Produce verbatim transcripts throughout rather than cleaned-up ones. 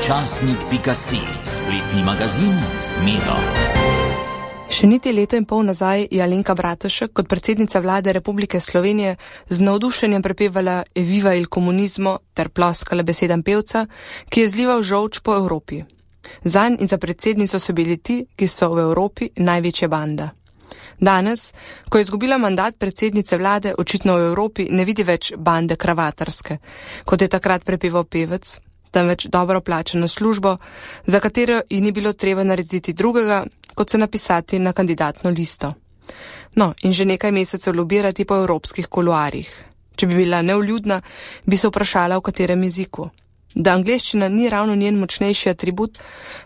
časnik pika si, spletni magazin z Medo. Še niti leto in pol nazaj je Alenka Bratušek kot predsednica vlade Republike Slovenije z navdušenjem prepevala Eviva il komunizmo ter ploskala besedam pevca, ki je zlival žolč po Evropi. Zanj in za predsednico so bili ti, ki so v Evropi največja banda. Danes, ko je izgubila mandat predsednice vlade, očitno v Evropi ne vidi več bande kravatarske, kot je takrat prepeval pevec, temveč dobro plačano službo, za katero ji ni bilo treba narediti drugega, kot se napisati na kandidatno listo. No, in že nekaj mesecev lobirati po evropskih kuluarjih. Če bi bila nevljudna, bi se vprašala, v katerem jeziku. Da angleščina ni ravno njen močnejši atribut,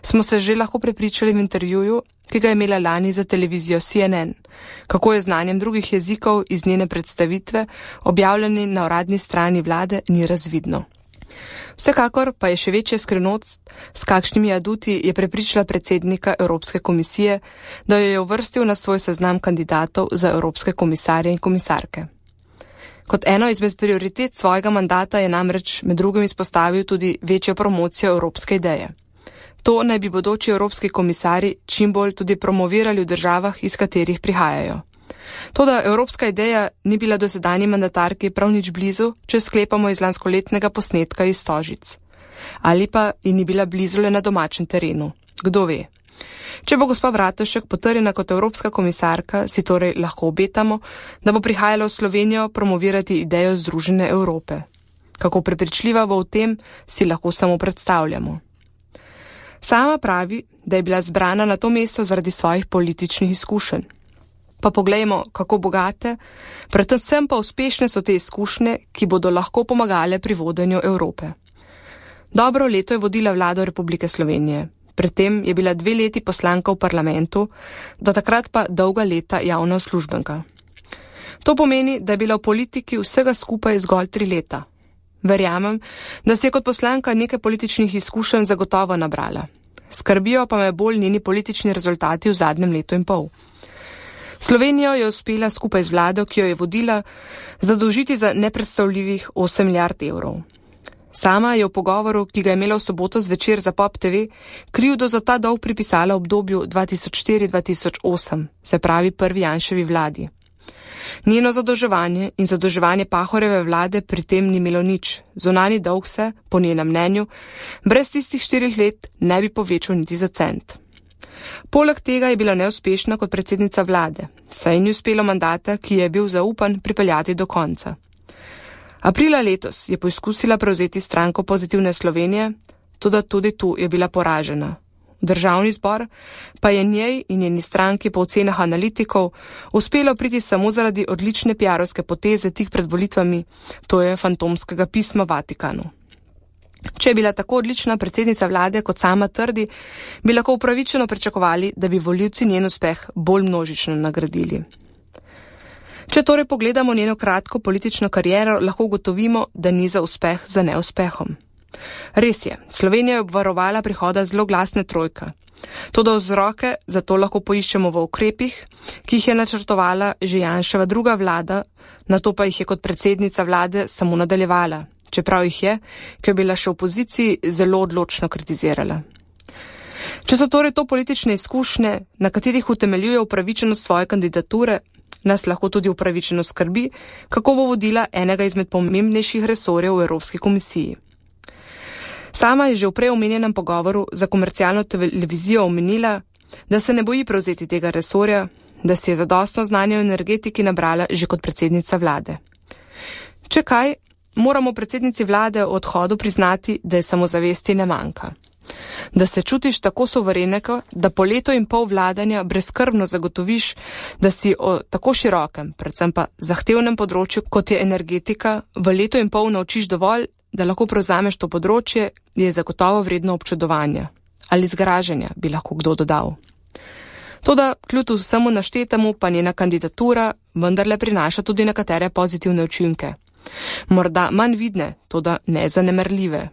smo se že lahko prepričali v intervjuju, ki ga je imela lani za televizijo C N N, kako je znanjem drugih jezikov iz njene predstavitve, objavljeni na uradni strani vlade, ni razvidno. Vsekakor pa je še večja skrivnost, s kakšnimi aduti je prepričala predsednika Evropske komisije, da jo je uvrstil na svoj seznam kandidatov za evropske komisarje in komisarke. Kot eno izmed prioritet svojega mandata je namreč med drugim izpostavil tudi večjo promocijo evropske ideje. To naj bi bodoči evropski komisarji čim bolj tudi promovirali v državah, iz katerih prihajajo. Toda evropska ideja ni bila dosedanji mandatarki prav nič blizu, če sklepamo iz lanskoletnega posnetka iz Stožic. Ali pa ji ni bila blizu le na domačem terenu. Kdo ve? Če bo gospa Bratušek potrjena kot evropska komisarka, si torej lahko obetamo, da bo prihajala v Slovenijo promovirati idejo Združene Evrope. Kako prepričljiva bo v tem, si lahko samo predstavljamo. Sama pravi, da je bila zbrana na to mesto zaradi svojih političnih izkušenj. Pa poglejmo, kako bogate, predvsem pa uspešne so te izkušnje, ki bodo lahko pomagale pri vodenju Evrope. Dobro leto je vodila vlado Republike Slovenije. Predtem je bila dve leti poslanka v parlamentu, do takrat pa dolga leta javna uslužbenka. To pomeni, da je bila v politiki vsega skupaj zgolj tri leta. Verjamem, da se je kot poslanka nekaj političnih izkušenj zagotovo nabrala. Skrbijo pa me bolj njeni politični rezultati v zadnjem letu in pol. Slovenijo je uspela skupaj z vlado, ki jo je vodila, zadolžiti za nepredstavljivih osem milijard evrov. Sama je v pogovoru, ki ga je imela v soboto zvečer za Pop T V, krivdo za ta dolg pripisala obdobju dva tisoč štiri do dva tisoč osem, se pravi prvi Janševi vladi. Njeno zadolževanje in zadolževanje Pahorjeve vlade pri tem ni imelo nič. Zunanji dolg se, po njenem mnenju, brez tistih štirih let ne bi povečal niti za cent. Poleg tega je bila neuspešna kot predsednica vlade, saj ni uspelo mandata, ki je bil zaupan, pripeljati do konca. Aprila letos je poizkusila prevzeti stranko Pozitivne Slovenije, toda tudi tu je bila poražena. V državni zbor pa je njej in njeni stranki po ocenah analitikov uspelo priti samo zaradi odlične piarovske poteze tik pred volitvami, to je fantomskega pisma Vatikanu. Če je bila tako odlična predsednica vlade, kot sama trdi, bi lahko upravičeno pričakovali, da bi volivci njen uspeh bolj množično nagradili. Če torej pogledamo njeno kratko politično kariero, lahko ugotovimo, da ni za uspeh za neuspehom. Res je, Slovenija je obvarovala prihoda zloglasne trojke. Toda vzroke za to lahko poiščemo v ukrepih, ki jih je načrtovala že Janševa druga vlada, nato pa jih je kot predsednica vlade samo nadaljevala, čeprav jih je, ki je bila še v opoziciji, zelo odločno kritizirala. Če so torej to politične izkušnje, na katerih utemeljuje upravičenost svoje kandidature, nas lahko tudi upravičeno skrbi, kako bo vodila enega izmed pomembnejših resorjev v Evropski komisiji. Sama je že v prej omenjenem pogovoru za komercialno televizijo omenila, da se ne boji prevzeti tega resorja, da si je zadostno znanje o energetiki nabrala že kot predsednica vlade. Če kaj, moramo predsednici vlade v odhodu priznati, da je samozavesti ne manjka. Da se čutiš tako suvereneko, da po leto in pol vladanja brezskrbno zagotoviš, da si o tako širokem, predvsem pa zahtevnem področju, kot je energetika, v leto in pol naučiš dovolj, da lahko prevzameš to področje, je zagotovo vredno občudovanja. Ali zgražanja, bi lahko kdo dodal. Toda kljub vsemu naštetemu pa njena kandidatura vendarle prinaša tudi nekatere pozitivne učinke. Morda manj vidne, toda nezanemarljive.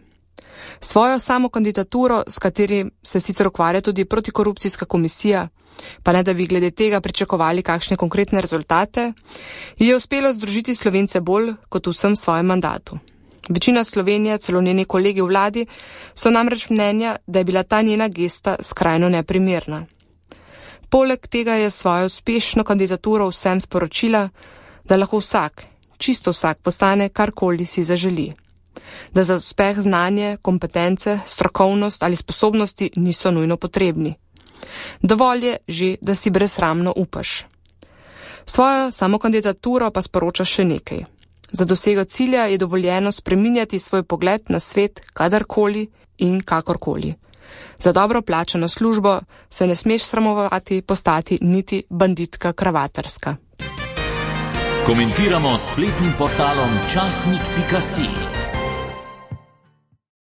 Svojo samo kandidaturo, s kateri se sicer ukvarja tudi protikorupcijska komisija, pa ne da bi glede tega pričakovali kakšne konkretne rezultate, je uspelo združiti Slovence bolj kot v vsem svojem mandatu. Večina Slovenije, celo njeni kolegi v vladi, so namreč mnenja, da je bila ta njena gesta skrajno neprimerna. Poleg tega je svojo uspešno kandidaturo vsem sporočila, da lahko vsak, čisto vsak, postane karkoli si zaželi. Da za uspeh znanje, kompetence, strokovnost ali sposobnosti niso nujno potrebni. Dovolj je že, da si brezsramno upaš. Svojo samokandidaturo pa sporoča še nekaj. Za dosego cilja je dovoljeno spreminjati svoj pogled na svet kadarkoli in kakorkoli. Za dobro plačano službo se ne smeš sramovati postati niti banditka kravatarska. Komentiramo s spletnim portalom časnik pika si.